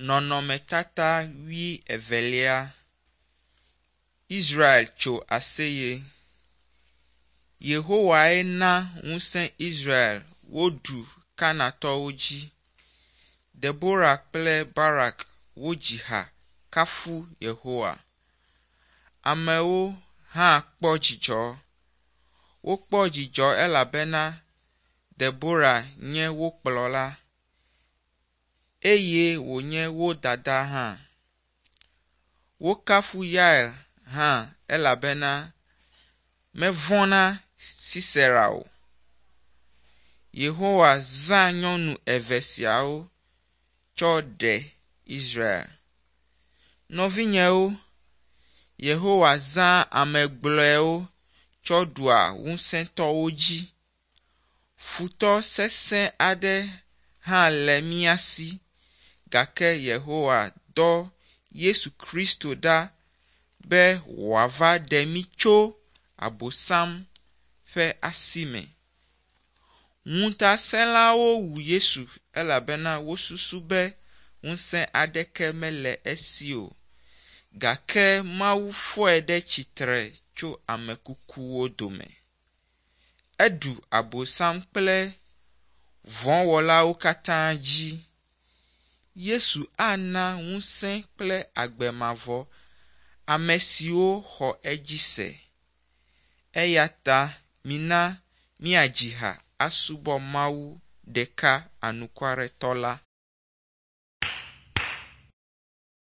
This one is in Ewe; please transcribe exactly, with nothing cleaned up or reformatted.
Nɔnɔmetata wuievelia. Israel tso aseye. Yehowae na ŋusẽ Israel woɖu Kanaantɔwo dzi. Debora kple Barak wodzi ha kafu Yehowa. Amewo hã kpɔ dzidzɔ. Wokpɔ dzidzɔ elabena Debora nye wo kplɔla eye wònye wo dada hã. Wokafu Yael hã elabena mevɔ̃ na Sisera o. Yehowa zã nyɔnu eve siawo tsɔ ɖe Israel. Nɔvinyewo, Yehowa zãa ame gblɔewo tsɔ ɖua ŋusẽtɔwo dzi. Futɔ sesẽ aɖe hã le mía si, gake Yehowa dɔ Yesu Kristo ɖa be wòava ɖe mí tso Abosam ƒe asi me. Ŋutasẽlawo wu Yesu elabena wosusu be ŋusẽ aɖeke mele esi o. Gake Mawu fɔe ɖe tsitre tso ame kukuwo dome. Eɖu Abosam kple vɔ̃wɔlawo katã dzi. Yesu ana ŋusẽ kple agbe mavɔ ame siwo xɔ edzi se. Eya ta mina míadzi ha asubɔ Mawu ɖeka anukwaretɔ la.